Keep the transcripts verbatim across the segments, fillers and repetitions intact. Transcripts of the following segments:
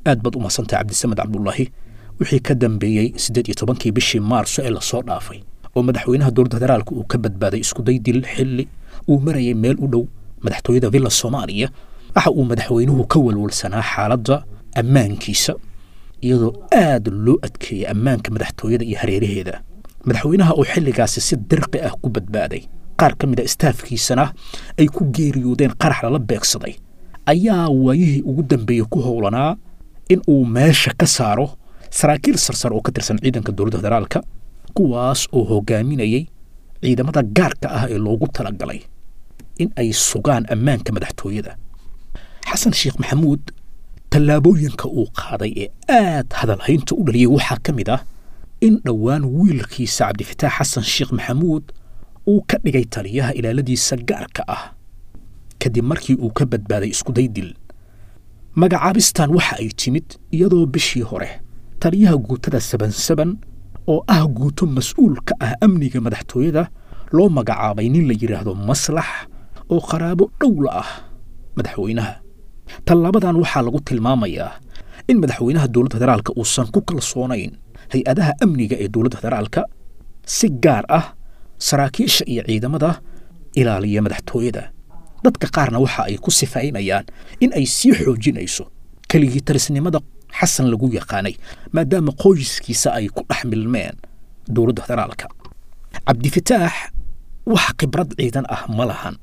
Aad baad u mahadsantahay, Cabdisamed Cabdulaahi. Wixii ka dambeeyey siddeed iyo tobankii bishii Maarso ee lasoo dhaafay oo madaxweynaha dowladda federaalka uu ka badbaaday iskuday dil xilli uu marayay meel u dhow madaxtooyada Villa Soomaaliya, waxa uu madaxweynuhu ka walwalsanaa xaaladda ammaankiisa, iyadoo aad loo adkeeyey ammaanka madaxtooyada iyo hareeraheeda. Madaxweynaha oo xilligaasi si dirqi ah ku badbaaday, qaar ka mid a istaafkiisana ay ku geeriyoodeen qarax lala beegsaday, ayaa waayihii ugu dambeeyey ku howlanaa in uu meesha ka saaro saraakiil sarsar oo ka tirsan ciidanka dowladda federaalka, kuwaas oo hogaaminayay ciidamada gaarka ah ee loogu talagalay in ay sugaan ammaanka madaxtooyada. Xasan Sheekh Maxamuud tallaabooyinka uu qaaday ee aad hadalhaynta u dhaliyey waxaa ka mid ah in dhowaan wiilkiisa Cabdifataax Xasan Sheekh Maxamuud uu ka dhigay taliyaha ilaaladiisa gaarka ah, kadib markii uu ka badbaaday iskuday dil. Magacaabistan waxa ay timid iyadoo bishii hore taliyaha guutada saban saban oo ah guuto mas-uul ka ah amniga madaxtooyada loo magacaabay nin la yidhaahdo Maslax oo qaraabo dhowla ah madaxweynaha. Tallaabadan waxaa lagu tilmaamayaa in madaxweynaha dowladda federaalka uusan ku kalsoonayn hay-adaha amniga ee dowladda federaalka, si gaar ah saraakiisha iyo ciidamada ilaaliya madaxtooyada. Dadka qaarna waxa ay ku sifaynayaan in ay sii xoojinayso keligii talisnimada Xasan lagu yaqaanay, maadaama qoyskiisa ay ku dhex milmeen dowladda federaalka. Cabdifataax wax khibrad ciidan ah ma lahan,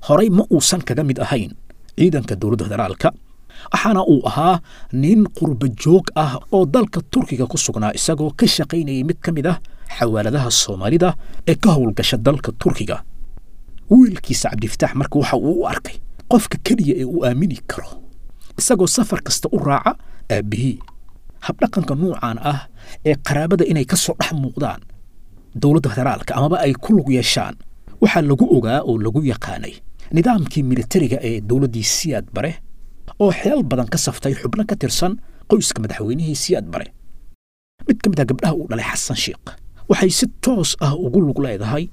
horey ma uusan kaga mid ahayn ciidanka dowladda federaalka, waxaana uu ahaa nin qurba joog ah oo dalka Turkiga ku sugnaa, isagoo ka shaqaynayay mid ka mid ah xawaaladaha Soomaalida ee ka howlgasha dalka Turkiga. Wiilkiisa Cabdifataax marka waxa uu u arkay qofka keliya ee uu aamini karo, isagoo safar kasta u raaca aabbihii. Habdhaqanka nuucan ah ee qaraabada inay ka soo dhex muuqdaan dowladda federaalka amaba ay ku lug yeeshaan waxaa lagu ogaa oo lagu yaqaanay nidaamkii militariga ee dowladdii Siyaad Bare, oo xilal badan ka saftay xubno ka tirsan qoyska madaxweynihii Siyaad Bare. Mid ka mid ah gabdhaha uu dhalay Xasan Sheekh waxay si toos ah ugu lug leedahay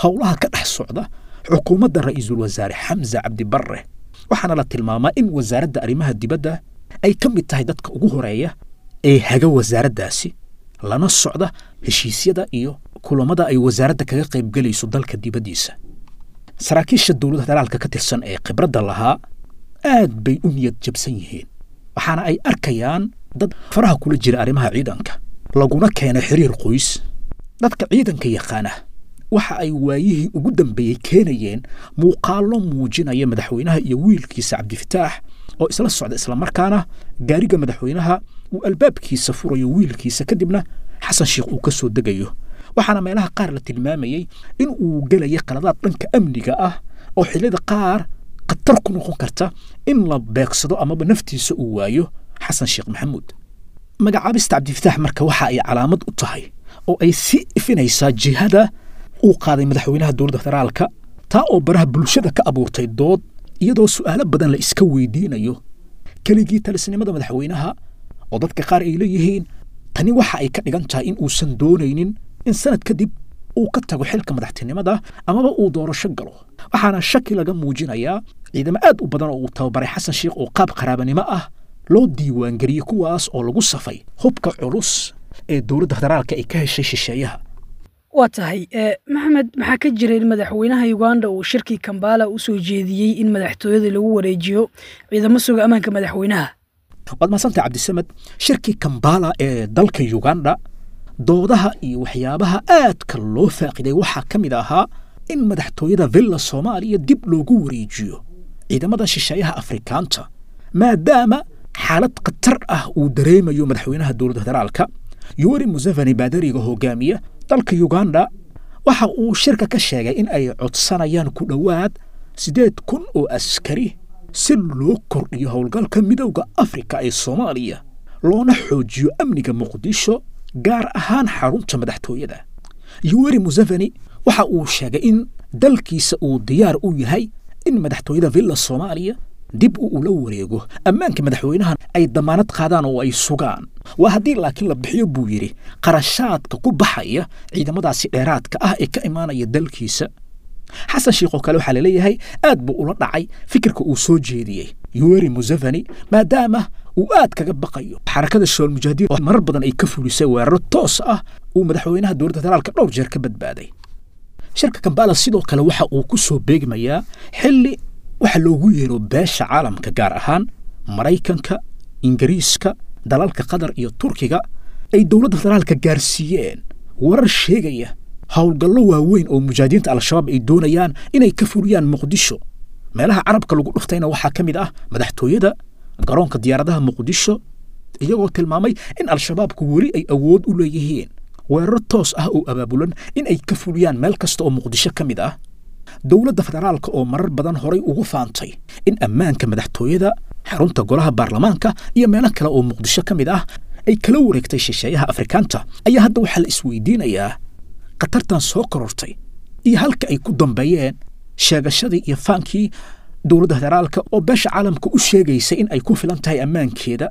howlaha ka dhex socda xukuumadda ra'iisul wasaare Xamse Cabdi Barre, waxaana la tilmaamaa in wasaaradda arrimaha dibadda ay ka mid tahay dadka ugu horeeya ee haga wasaaraddaasi, lana socda heshiisyada iyo kulamada ay wasaaradda kaga qaybgelayso dalka dibaddiisa. Saraakiisha dowladda federaalka ka tirsan ee khibradda lahaa aad bay u niyad jabsan yihiin, waxaana ay arkayaan dad faraha kula jira arrimaha ciidanka laguna keenay xiriir qoys. Dadka ciidanka yaqaana waxa ay waayihii ugu dambeeyey keenayeen muuqaallo muujinaya madaxweynaha iyo wiilkiisa Cabdifataax oo isla socda, islamarkaana gaariga madaxweynaha uu albaabkiisa furayo wiilkiisa, kadibna Xasan Sheekh uu ka soo degayo. Waxaana meelaha qaar la tilmaamayey in uu gelayo qaladaad dhanka amniga ah oo xilliyada qaar khatar ku noqon karta in la beegsado amaba naftiisa uu waayo Xasan Sheekh Maxamuud. Magacaabista Cabdifataax marka waxa ay calaamad u tahay oo ay sii ifinaysaa jihada uu qaaday madaxweynaha dowladda federaalka, taa oo baraha bulshada ka abuurtay dood, iyadoo su'aalo badan la iska weydiinayo keligii talisnimada madaxweynaha, oo dadka qaar ay leeyihiin tani waxa ay ka dhigan tahay in uusan doonaynin in sanad kadib uu ka tago xilka madaxtinimada amaba uu doorasho galo. Waxaana shaki laga muujinayaa ciidamo aad u badan oo uu tababaray Xasan Sheekh oo qaab qaraabanimo ah loo diiwaangeliyey, kuwaas oo lagu safay hubka culus ee dowladda federaalka ay ka heshay shisheeyaha. Waa tahay, Maxamed, maxaa ka jira in madaxweynaha Uganda uu shirkii Kambala u soo jeediyey in madaxtooyada lagu wareejiyo ciidamo suga ammaanka madaxweynaha? Waad mahadsantahay, Cabdisamed. Shirkii Kambala ee dalka Uganda doodaha iyo waxyaabaha aadka loo faaqiday waxaa ka mid ahaa in madaxtooyada Villa Soomaaliya dib loogu wareejiyo ciidamada shisheeyaha Afrikaanta, maadaama xaalad khatar ah uu dareemayo madaxweynaha dowladda federaalka Yoweri Museveni. Baadariga hogaamiya dalka Uganda waxa uu shirka ka sheegay in ay codsanayaan ku dhowaad siddeed kun oo askari si loo kordhiyo howlgalka Midowda Afrika ee Soomaaliya, loona xoojiyo amniga Muqdisho, gaar ahaan xarunta madaxtooyada. Yoweri Museveni waxa uu sheegay in dalkiisa uu diyaar u yahay in madaxtooyada Villa Soomaaliya dib u ula wareego, ammaanka madaxweynahan ay damaanad qaadaan oo ay sugaan, waa haddii laakiin la bixiyo buu yidhi qarashaadka ku baxaya ciidamadaasi dheeraadka ah ee ka imaanaya dalkiisa. Xasan Sheekh oo kale waxaa laleeyahay aad buu ula dhacay fikirka uu soo jeediyey Yoweri Museveni, maadaama Uu aad kaga baqayo Xarakada Shabaab Mujaahidiin oo marar badan ay ka fulisay weeraro toos ah uu madaxweynaha dowladda federaalka dhowr jeer ka badbaaday. Shirka Kampala sidoo kale waxa uu ku soo beegmayaa xilli waxa loogu yeero beesha caalamka, gaar ahaan Maraykanka, Ingiriiska, dalalka Qatar iyo Turkiga, ay dowladda federaalka gaarsiiyeen warar sheegaya howlgallo waaweyn oo mujaahidiinta Al-Shabaab ay doonayaan inay ka fuliyaan Muqdisho. Meelaha carabka lagu dhuftayna waxaa ka mid ah madaxtooyada, garoonka diyaaradaha Muqdisho, iyagoo tilmaamay in Al-Shabaabku weli ay awood u leeyihiin weeraro toos ah oo abaabulan in ay ka fuliyaan meel kasta oo Muqdisho ka mid ah. Dowladda federaalka oo marar badan horay ugu faantay in ammaanka madaxtooyada, xarunta golaha baarlamaanka iyo meelo kale oo Muqdisho ka mid ah ay kala wareegtay shisheeyaha Afrikaanta, ayaa hadda waxaa la isweydiinayaa khatartan soo korortay iyo halka ay ku dambeeyeen sheegashadii iyo faankii dowladda federaalka oo beesha caalamka u sheegaysa in ay ku filan tahay ammaankeeda.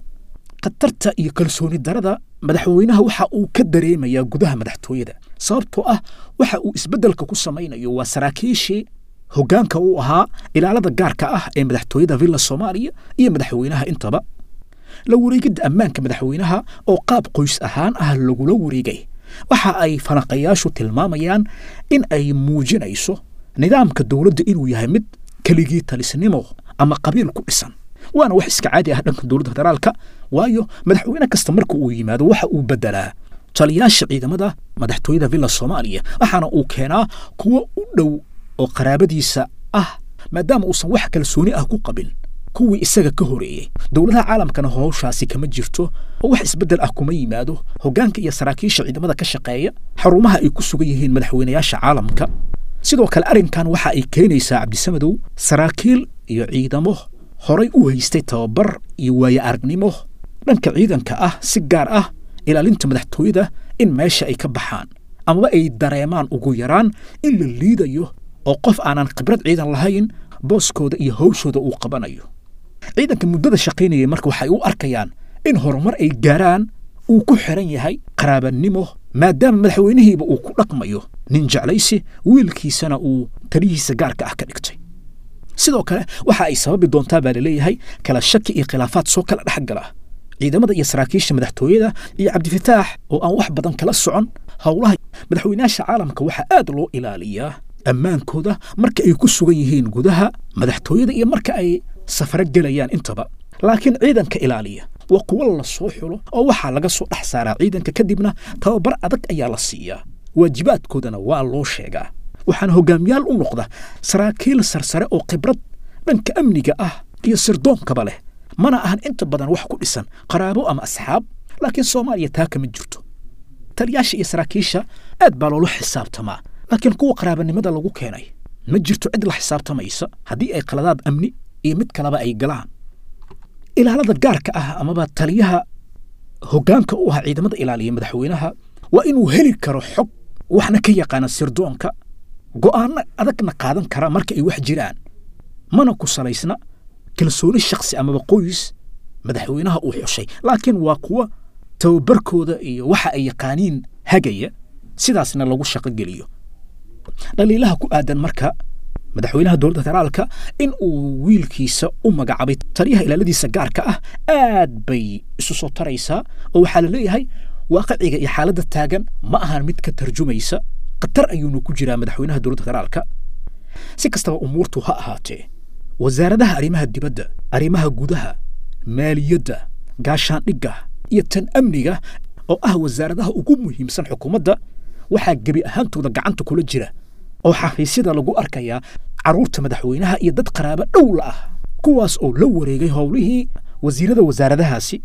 Khatarta iyo kalsooni darada madaxweynaha waxa uu ka dareemayaa gudaha madaxtooyada, sababtoo ah waxa uu isbeddelka ku samaynayo waa saraakiishii hoggaanka u ahaa ilaalada gaarka ah ee madaxtooyada Villa Soomaaliya iyo madaxweynaha intaba. La wareegidda ammaanka madaxweynaha oo qaab qoys ahaan ah lagula wareegay waxa ay falanqayaashu tilmaamayaan in ay muujinayso nidaamka dowladda inuu yahay mid keligii talisnimo ama qabiil ku dhisan, waana wax iska caadi ah dhanka dowladda federaalka, waayo madaxweyne kasta marka uu yimaado waxa uu beddelaa taliyaasha ciidamada madaxtooyada Villa Soomaaliya, waxaana uu keenaa kuwo u dhow oo qaraabadiisa ah, maadaama uusan wax kalsooni ah ku qabin kuwii isaga ka horeeyey. Dowladaha caalamkana howshaasi kama jirto oo wax isbeddel ah kuma yimaado hoggaanka iyo saraakiisha ciidamada ka shaqeeya xarumaha ay ku sugan yihiin madaxweynayaasha caalamka. Sidoo kale arrinkan waxa ay keenaysaa, Cabdisamadow, saraakiil iyo ciidamo horay u haystay tababar iyo waaye aragnimo dhanka ciidanka ah, si gaar ah ilaalinta madaxtooyada, in meesha ay ka baxaan amaba ay dareemaan ugu yaraan in la liidayo oo qof aanan khibrad ciidan lahayn booskooda iyo hawshooda uu qabanayo. Ciidanka muddada shaqaynayay marka waxay u arkayaan in horumar ay gaaraan uu ku xiran yahay qaraabanimo, maadaama madaxweynihiiba uu ku dhaqmayo nin jeclaysi, wiilkiisana uu talihiisa gaarka ah ka dhigtay. Sidoo kale waxa ay sababi doontaa baa laleeyahay kala shaki iyo khilaafaad soo kala dhex gala ciidamada iyo saraakiisha madaxtooyada iyo Cabdifataax oo aan wax badan kala socon howlaha madaxweynayaasha caalamka. Waxaa aad loo ilaaliyaa ammaankooda marka ay ku sugan yihiin gudaha madaxtooyada iyo marka ay safaro gelayaan intaba, laakiin ciidanka ilaaliya waa kuwo la soo xulo oo waxaa laga soo dhex saaraa ciidanka, kadibna tababar adag ayaa la siiyaa, waajibaadkoodana waa loo sheegaa, waxaana hogaamiyaal u noqda saraakiil sarsare oo khibrad dhanka amniga ah iyo sirdoonkaba leh, mana ahan inta badan wax ku dhisan qaraabo ama asxaab. Laakiin Soomaaliya taa kama jirto. Taliyaasha iyo saraakiisha aad baa loola xisaabtamaa, laakiin kuwa qaraabanimada lagu keenay ma jirto cid la xisaabtamaysa haddii ay qaladaad amni iyo mid kaleba ay galaan. Ilaalada gaarka ah amaba taliyaha hoggaanka u ah ciidamada ilaaliya madaxweynaha waa inuu heli karo xog, waxna ka yaqaana sirdoonka, go'aano adagna qaadan kara marka ay wax jiraan, mana ku salaysna kalsooni shakhsi amaba qoys madaxweynaha uu xushay, laakiin waa kuwa tababarkooda iyo waxa ay yaqaaniin hagaya, sidaasna lagu shaqo geliyo. Dhaliilaha ku aadan marka madaxweynaha dowladda federaalka in uu wiilkiisa u magacaabay taliyaha ilaaladiisa gaarka ah aad bay isu soo taraysaa, oo waxaa la leeyahay waaqiciga iyo xaaladda taagan ma ahan mid ka tarjumaysa, khatar ayuuna ku jiraa madaxweynaha dowladda federaalka. Si kastaba umuurtu ha ahaatee, wasaaradaha arrimaha dibadda, arrimaha gudaha, maaliyadda, gaashaandhigga iyo tan amniga oo ah wasaaradaha ugu muhiimsan xukuumadda waxaa gebi ahaantooda gacanta kula jira oo xafiisyada lagu arkayaa carruurta madaxweynaha iyo dad qaraabo dhowla ah, kuwaas oo la wareegay howlihii wasiirada wasaaradahaasi,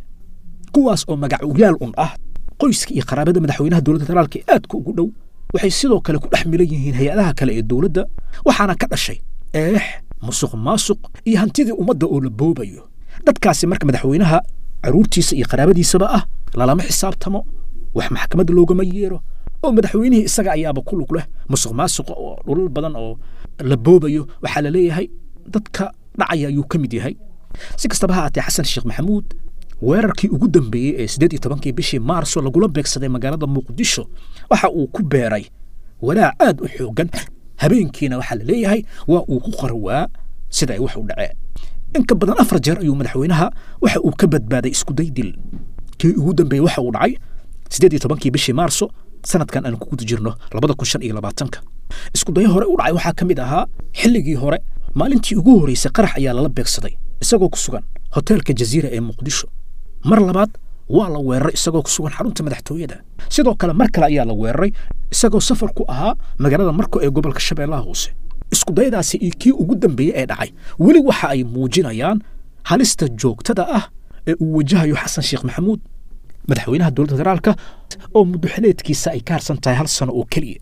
kuwaas oo magacuyaal un ah qoyska iyo qaraabada madaxweynaha dowladda federaalka ee aadka ugu dhow. Waxay sidoo kale ku dhex milan yihiin hay-adaha kale ee dowladda, waxaana ka dhashay eex, musuq maasuq iyo hantidii ummadda oo la boobayo. Dadkaasi marka madaxweynaha carruurtiisa iyo qaraabadiisaba ah lalama xisaabtamo, wax maxkamadda loogama yeero, oo madaxweynihii isaga ayaaba ku lug leh musuq maasuqa oo dhulal badan oo la boobayo waxaa la leeyahay dadka dhacaya ayuu ka mid yahay. Si kastaba ha aatee, Xasan Sheekh Maxamuud weerarkii ugu dambeeyey ee siddeed iyo tobankii bishii Maarso lagula beegsaday magaalada Muqdisho waxa uu ku beeray walaac aad u xooggan, habeenkiina waxaa la leeyahay waa uu ku qarwaa sida ay wax u dhaceen. In ka badan afar jeer ayuu madaxweynaha waxa uu ka badbaaday iskuday dil. Kii ugu dambeeyey waxa uu dhacay siddeed iyo tobankii bishii Maarso sanadkan aan ku guda jirno labada kun shan iyo labaatanka. Iskudayo hore u dhacay waxaa ka mid ahaa xilligii hore, maalintii ugu horreysay qarax ayaa lala beegsaday isagoo ku sugan hoteelka Jaziira ee Muqdisho. Mar labaad waa la weeraray isagoo ku sugan xarunta madaxtooyada. Sidoo kale mar kale ayaa la weeraray isagoo safar ku ahaa magaalada Marko ee gobolka Shabeellaha Hoose. Iskudayadaasi iyo kii ugu dambeeyey ee dhacay weli waxa ay muujinayaan halista joogtada ah ee uu wajahayo Xasan Sheekh Maxamuud, madaxweynaha dowladda federaalka, oo muddo xileedkiisa ay ka harsan tahay hal sano oo keliya.